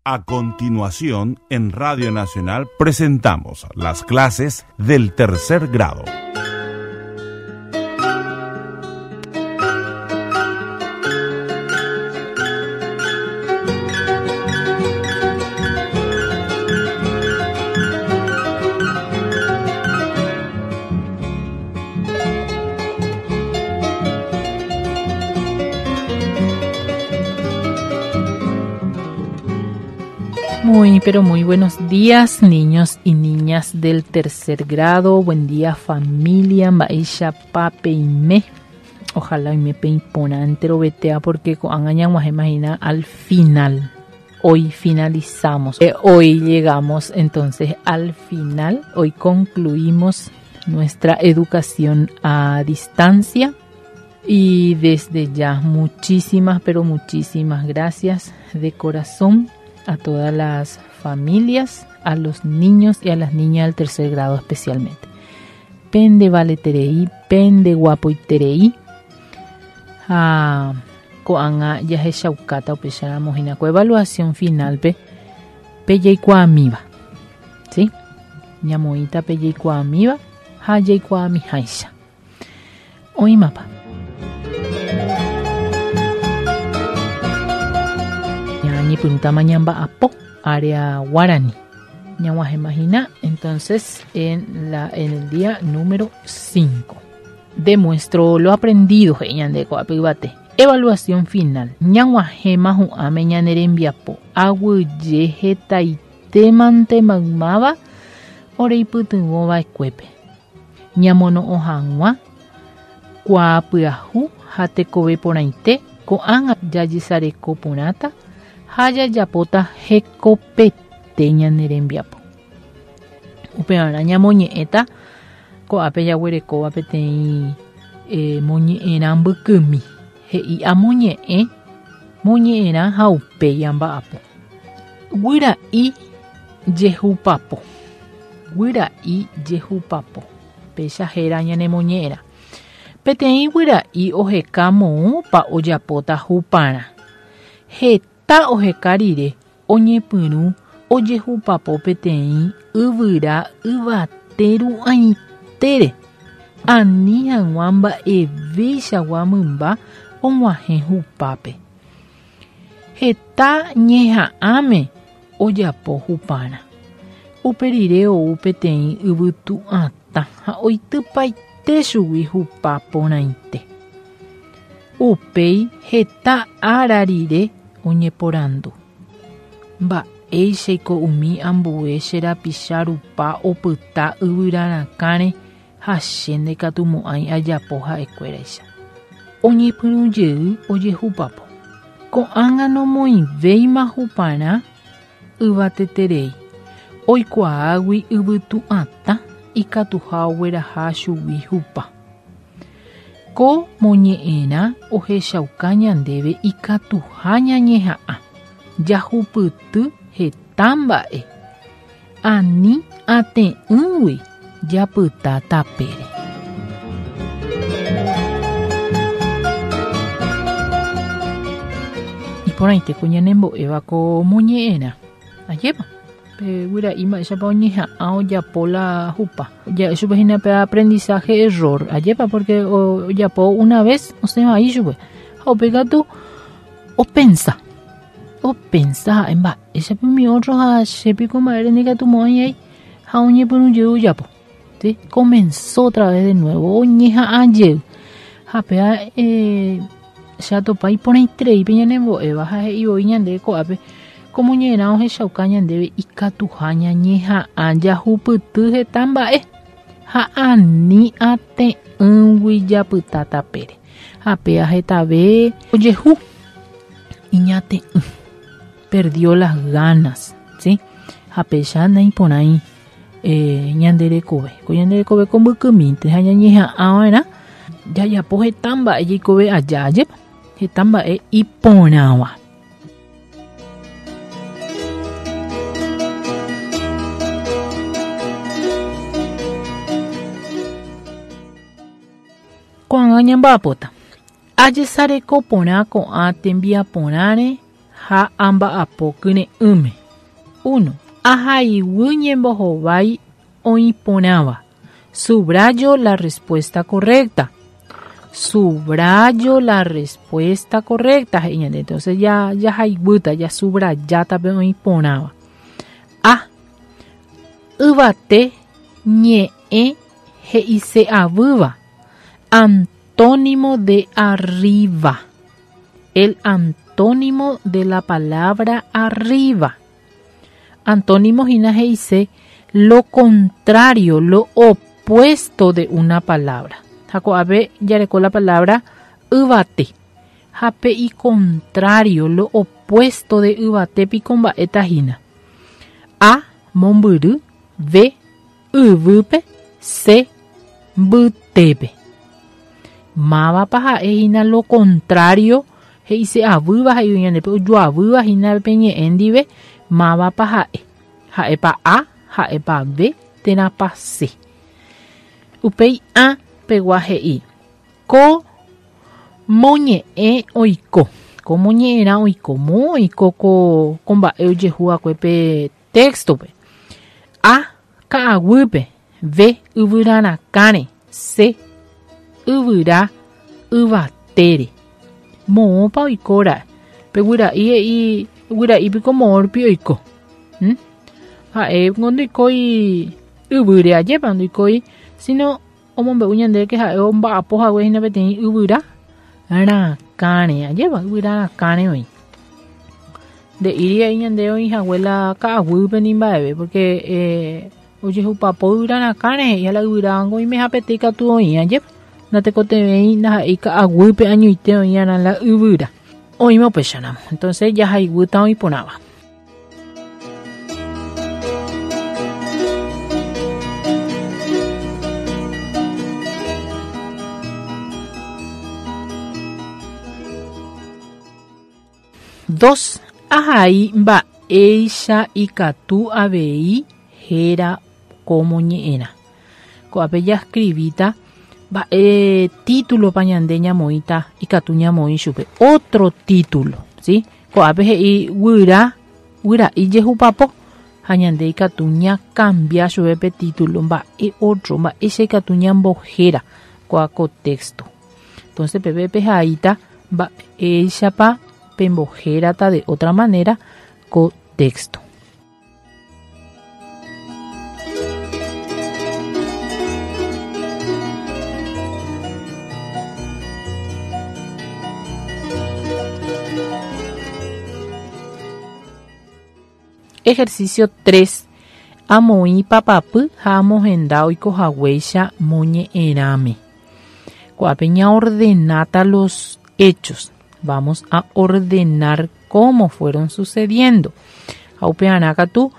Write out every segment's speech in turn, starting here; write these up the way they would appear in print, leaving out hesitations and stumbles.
A continuación, en Radio Nacional presentamos las clases del tercer grado. Muy, pero muy buenos días, niños y niñas del tercer grado. Buen día, familia. Mba'éichapa peime. Ojalá oime peiporã enterovetea porque ko'ág̃a ñag̃uahẽma hína al final. Hoy finalizamos. Eh, hoy llegamos entonces al final. Hoy concluimos nuestra educación a distancia. Y desde ya muchísimas, pero muchísimas gracias de corazón a todas las familias, a los niños y a las niñas del tercer grado especialmente. Pende valeterei, pende guapoiterei. Ha ko'ág̃a jahechaukáta upéicharamo hína ko evaluación final-pe pe jaikuaamíva. ¿Sí? Ñamoĩta pe jaikuaamíva ha jaikuaamiháicha. Oĩmapa. Ñañepyrũtama ñamba'apo área guarani. Ñag̃uahẽma hína entonces en, la, en el día número 5. Demuestro lo aprendido he'i ñande ko'ápe yvate. Evaluación final. Ñag̃uahẽma hu'ãme ñane rembiapo. Aguyje hetaitémante maymáva oreipytyvõva'ekuépe. Ñamono'õ hag̃ua kuaa pyahu ha tekove porãite ko'ág̃a jajesareko porãta ha jajapóta hekopete ñane rembiapo. Upevarã ñamoñe'ẽta ko'ápe jaguerekóva peteĩ moñe'ẽrã mbykymi, he'i amoñe'ẽ moñe'ẽrã ha upéi amba'apo. Guyra'i jehupapo. Guyra'i jehupapo. Péicha héra ñanemoñe'ẽrã. Peteĩ guyra'i oheka moõpa ojapóta huparã. Heta oheka rire oñepyrũ ojehupapo peteĩ yvyra yvate ru'ãitére, ani hag̃ua mba'evéichagua mymba og̃uahẽ hupápe. Heta ñeha'ãme ojapo huparã. Upe rire ou peteĩ yvytu'atã ha oitypaite chugui hupa porãite. Upéi heta ára rire oñeporandu, Mba'éichaiko umi ambue che rapicha rupa opyta yvyra rakãre ha che ndaikatumo'ãi ajapo ha'ekuéraicha. Oñepyrũ jey ojehupapo. Ko'ág̃a nomoĩvéima huparã yvateterei, oikuaágui yvytu'atã ikatuha ogueraha chugui hupa. Ko moñe'ẽrã ohechauka ñandéve ikatuha ñañeha'ã jahupyty heta mba'e. Ani ate'ỹgui japyta tapére. Iporãite ko ñanembo'éva ko moñe'ẽrã. Ajépa? Pe guyra'i mba'éichapa oñeha'ã ojapo la hupa. Ja'e chupe hína pe aprendizaje error. Ajépa? Porque ojapo una vez osẽ vai chupe. Ha upéi katu opensa. Opensa ha'e mba'éichapa umi ótro ha che piko mba'ére ndikatumo'ãi ai ha oñepyrũ jey ojapo. ¿Sí? Comenzó otra vez de nuevo, oñeha'ã jey. Ha péva eh, che atopa iporãiterei pe ñanembo'éva ha he'i voi ñandéve ko'ápe ko moñe'ẽrã ohechauka ñandéve ikatuha ñañeha'ã jahupyty heta mba'e ha ani ate'ỹgui japyta tapére. Ha péva hetave ojehu iñate'ỹ, perdió las ganas, ¿sí? Ha péicha naiporãi eh, ñande rekove. Ko ñande rekove ko mbykymínte ha ñañeha'ãva'erã jajapo heta mba'e jaikove aja, ajépa? Heta mba'e iporãva. Ko'ág̃a ñamba'apóta. Ajesareko porã ko'ã tembiaporãre. ha amba'apo kyre'ỹme. 1. Ahaiguy ñembohovái oĩporãva. Subrayo la respuesta correcta. Subrayo la respuesta correcta. He'i ñande. Entonces ya jahaiguýta, jasubrayáta pe oĩporãva. A. Yvate ñe'ẽ he'ise'avýva. Antónimo de arriba. El antónimo de la palabra arriba. Antónimo hína he'ise lo contrario, lo opuesto de una palabra. Ha ko'ápe jareko la palabra yvate. Ha pe icontrario, lo opuesto de yvate piko mba'éta hína. A. Mombyry. B. Yvýpe. C. Mbytépe. Mávapa ha'e hína lo contrario he'ise'avýva he'ívo ñandépe ojoavýva hína pe ñe'ẽ ndive mávapa ha'e. Ha'épa A, ha'épa B térãpa C. Upéi A pegua he'i, Ko moñe'ẽ oiko. Ko moñe'ẽrã oiko. Moõ oiko ko ko mba'e ojehu va'ekue pe téxtope. A. Ka'aguýpe. B. Yvyra rakãre. C. Yvyra yvatére. Moõpa oiko ra'e? Pe guyra'i he'i, Guyra'i piko moõ rupi oiko? ¿Mm? Ha'e ngo ndoikói yvýre ajépa, ndoikói, sino omombe'u ñandéve ke ha'e omba'apo hague hína peteĩ yvyra rakãre, ajépa, yvyra rakãre oĩ. Nde'íri he'i ñandéve oĩ hague la ka'aguýpe ni mba'eve, porque eh, Ojehupapo yvyra rakãre he'i ha la yvyra oimehapete ikatu oĩ ajépa. Natekotevẽi ndaha'éi ka'aguýpe añoite oĩarã la yvyra. Oĩma upéicharamo. Entonces jahaiguýta oĩ porãva. Dos, ahai mba'éicha ikatu avei héra ko moñe'ẽrã. Ko'ápe jaskrivíta mba'e títulopa ñande ñamoĩta ikatu ñamoĩ chupe. Ótro título, si? Ko'ápe he'i guyra, guyra'i jehupapo, ha ñande ikatu ñakambia chupe pe título mba'e ótro, mba'éicha ikatu ñambohéra kóa ko téxto. Entonces peve pehaíta mba'éichapa pembohérata de otra manera ko texto. Ejercicio 3. Amoĩ papapy ha amohenda oikohaguéicha moñe'ẽrãme. Ko'ápe ñaordenáta los hechos. Vamos a ordenar cómo fueron sucediendo. Ha upearã katu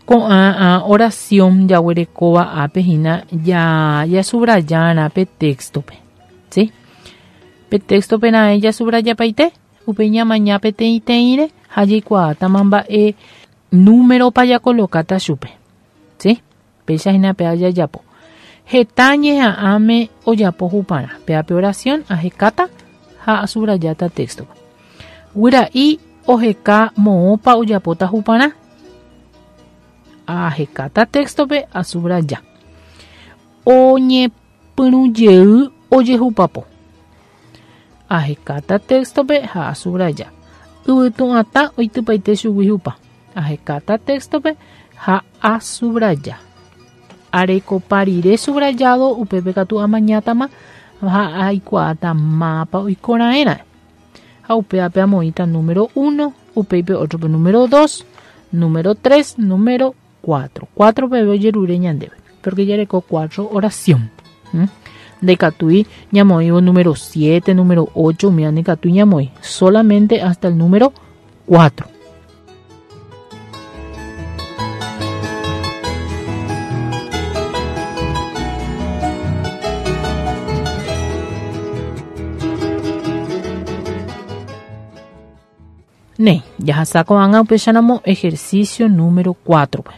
ko'ã oración jaguerekóva ápe hína ja jasubrayarã pe texto-pe. ¿Sí? Pe texto-pe raẽ jasubrayapaite, Upéi ñamaña peteĩteĩre ha jaikuaátama mba'e númeropa jakolokáta chupe. Sí? Péicha hína péva jajapo. Heta ñeha'ãme ojapo huparã. Péva pe oración ahekáta ha asubrajáta téxtope. Guyra'i oheka moõpa ojapóta huparã. Ahekáta téxtope asubraja. Oñepyrũ jey ojehupapo. Ahekáta téxtope ha asubraja. Yvytu'atã oitypaite chugui hupa. Ahekáta téxtope ha asubraja. Arekopa rire subrayado upépe katu amañátama ha aikuaáta mápa oiko raẽra'e. Ha upévape amoĩta número uno, upéi pe ótrope número dos, número tres, número cuatro. Cuatro peve ojerure ñandéve, porque jareko cuatro oración. ¿Mm? Ndaikatúi ñamoĩvo número siete, número ocho, umíva ndaikatúi ñamoĩ, solamente hasta el número cuatro. Néi, jahasa ko'ág̃a upéicharamo ejercicio número cuatro-pe.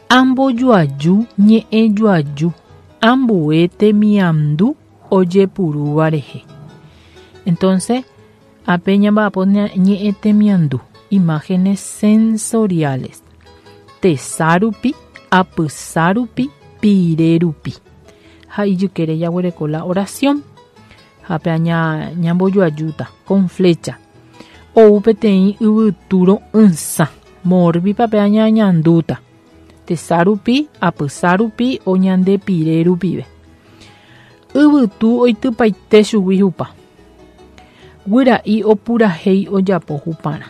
Ambojoaju ñe'ẽjoaju ambue temiandu ojepurúva rehe. Entonces, ápe ñamba'apo ñe'ẽ temiandu. Imágenes sensoriales. Tesa rupi, apysa rupi, pire rupi. Ha ijykére jaguereko la oración. Ha pe aña ñambojoajúta con flecha. Ou peteĩ yvytu ro'ysã. Morbipa pe aña añandúta. Tesa rupi, apysa rupi o ñande pire rupive. Yvytu oitypaite chugui hupa. Guyra'i opurahéi ojapo huparã.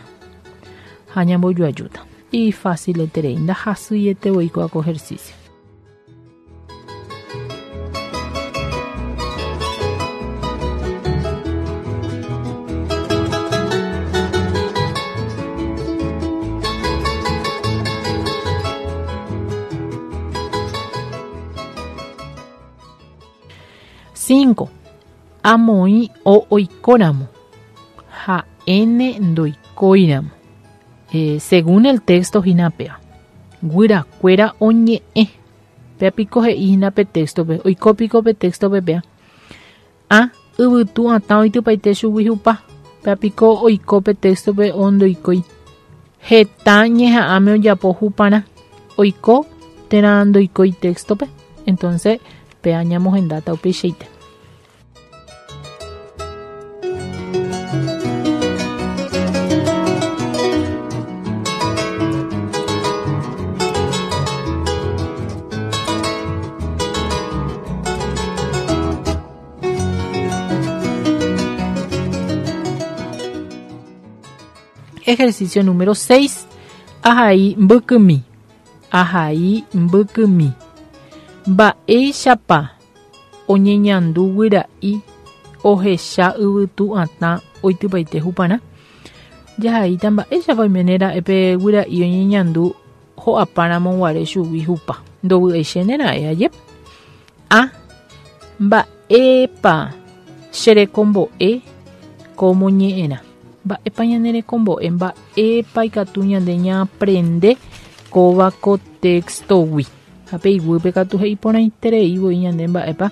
Ha ñambojoajúta. Ifácileterei, ndahasyiete voi kóva ko ejercicio. Cinco. Amoĩ o oikóramo ha N ndoikóiramo. Eh, según el texto hína péva. Guyrakuéra oñe'ẽ. Péa piko he'i hína pe texto-pe. Oiko piko pe texto-pe péa. A. Yvytu atã oitypaite chugui hupa. Péa piko oiko pe texto-pe o ndoikói. Heta ñeha'ãme ojapo huparã. Oiko térã ndoikói texto-pe. Entonces, péa ñamohendáta upeichaite. Ejercicio número 6. Ahai mbykymi. Ahai mbykymi. Mba'éichapa oñeñandu guyra'i ohecha yvytu atã oitypaite huparã? Jahaíta mba'éichapa oiméne ra'e pe guyra'i oñeñandu ho'apáramo guare chugui hupa. Ndovy'aichéne ra'e, ajépa? A. Mba'épa che rekombo'e ko moñe'ẽrã? Mba'épa ñane rekombo'e? Mba'épa ikatu ñande ñaaprende kóva ko téxtogui? Ha pe iguýpe katu he'i porãiterei voi ñande mba'épa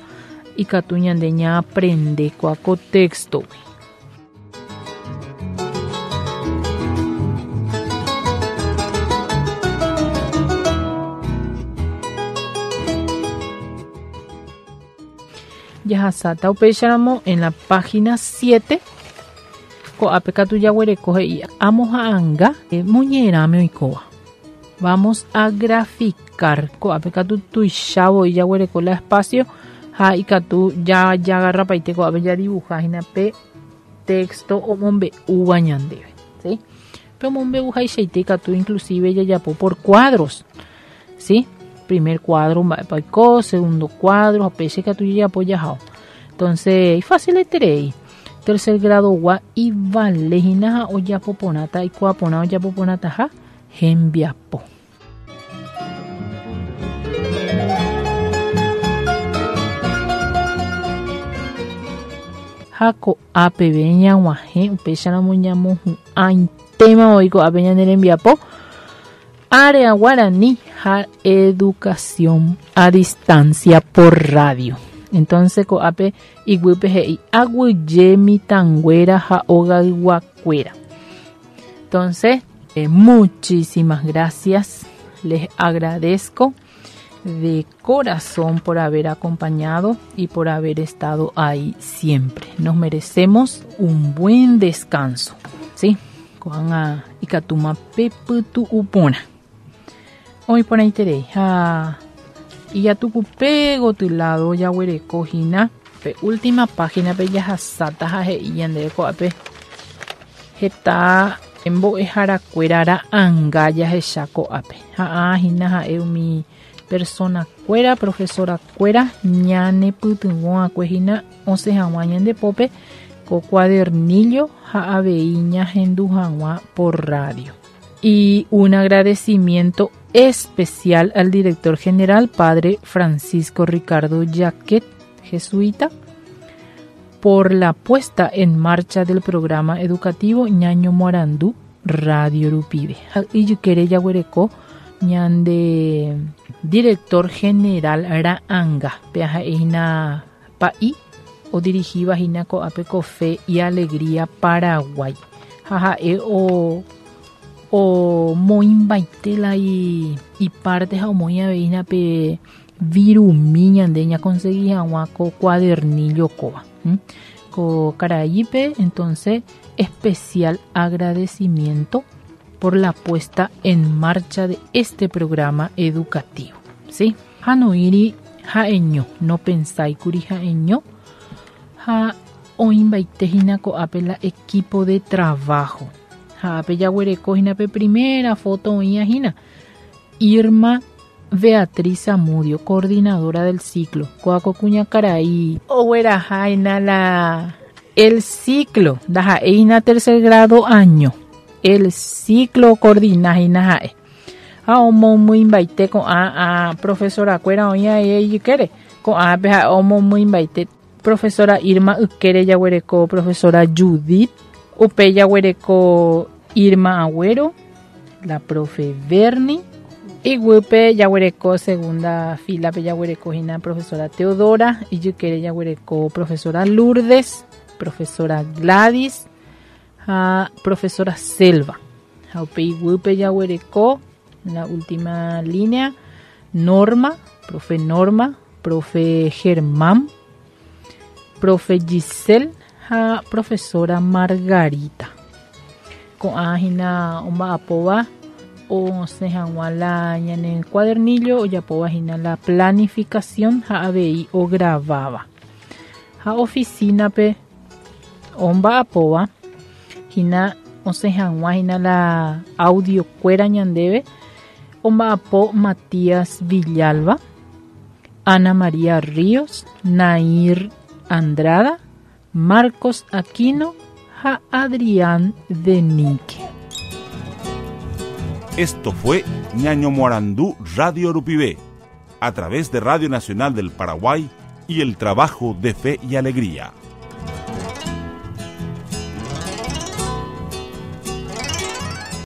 ikatu ñande ñaaprende kóa ko téxtogui. Jahasáta upéicharamo en la página 7 ko'ápe katu jaguereko he'i amoha'anga moñe'ẽrãme oikóva. Vamos a graficar. Ko'ápe katu tuicha voi jaguereko la espacio ha ikatu jajagarrapaite ko'ápe jadibuja hína pe texto omombe'úva ñandéve. ¿Sí? Pe omombe'uhaichaite ikatu inclusive jajapo por cuadros. ¿Sí? Primer cuadro mba'épa oiko, segundo cuadro, ha péicha ikatu jajapo jahao. Entonces, ifacileterei. Tercer grado gua ivale hína ha ojapo porãta, aikuaa porã ojapo porãtaha hembiapo. Ha ko'a peve ñag̃uahẽ, upéicharamo ñamohu'ãitéma voi ko'ápe ñane rembiapo. Área Guarani ha Educación a Distancia por Radio. Entonces ko'ápe iguýpe he'i aguyje mitãnguéra ha ogayguakuéra. Entonces, eh, muchísimas gracias. Les agradezco de corazón por haber acompañado y por haber estado ahí siempre. Nos merecemos un buen descanso. ¿Sí? Ko'ág̃a ikatúma pepytu'u porã. Oĩ porãiterei ha ijatukupe goty lado jaguereko hína pe última página-pe jahasáta ha he'i ñandéve ko'ápe heta mbo'eharakuéra ra'anga jahecha ko'ápe. Ha hína ha'e umi persona-kuéra, profesora-kuéra ñanepytyvõ'akue hína osẽ hag̃ua ñande pópe ko cuadernillo ha avei ñahendu hag̃ua por radio. Y un agradecimiento especial al director general, padre Francisco Ricardo Jacquet, jesuita, por la puesta en marcha del programa educativo Ñaño Moarandú Radio Rupive. Ha ijykére jaguereko ñande director general ra'anga, pe ha'ehína pa'i odirigíva hína ko'ápe ko Fe y Alegría Paraguay. Ha ha'e o Omoĩmbaite la iparte ha omoĩ avei hína pe virumi ñande ñakonsegi hag̃ua ko cuadernillo kóva. Ko karaípe entonces especial agradecimiento por la puesta en marcha de este programa educativo. ¿Sí? Ha noĩri ha'eño, nopensáikuri ha'eño ha oĩmbaite hína ko'ápe la equipo de trabajo. Ha ápe jaguereko hína pe primera foto oĩva hína. Irma Beatriz Zamudio, coordinadora del ciclo. Kóa ko kuñakarai ogueraha hína la el ciclo, ndaha'éi hína tercer grado año. El ciclo ocoordina hína ha'e. Ha omomýimbaite ko'ã profesora-kuéra oĩva ijykére. Ko'ãpe ha'e omomýimbaite Profesora Irma ykére jaguereko profesora Judith, upéi jaguereko Irma Agüero, la profe Bernie, iguýpe jaguereko segunda fila-pe jaguereko hína profesora Teodora, ijykére jaguereko profesora Lourdes, profesora Gladys ha profesora Selva. Ha upe iguýpe jaguereko la última línea Norma, profe Norma, Profe Germán, profe Giselle ha profesora Margarita. Ko'ã hína omba'apóva osẽ hag̃ua la ñane cuadernillo ojapóva hína la planificación ha avei ograváva. Ha oficina-pe omba'apóva hína osẽ hag̃ua hína la audio-kuéra ñandéve omba'apo Matías Villalba, Ana María Ríos, Nair Andrada, Marcos Aquino ha Adrián Denique. Esto fue Ñañomoarandu Radio Rupive, a través de Radio Nacional del Paraguay y el trabajo de Fe y Alegría.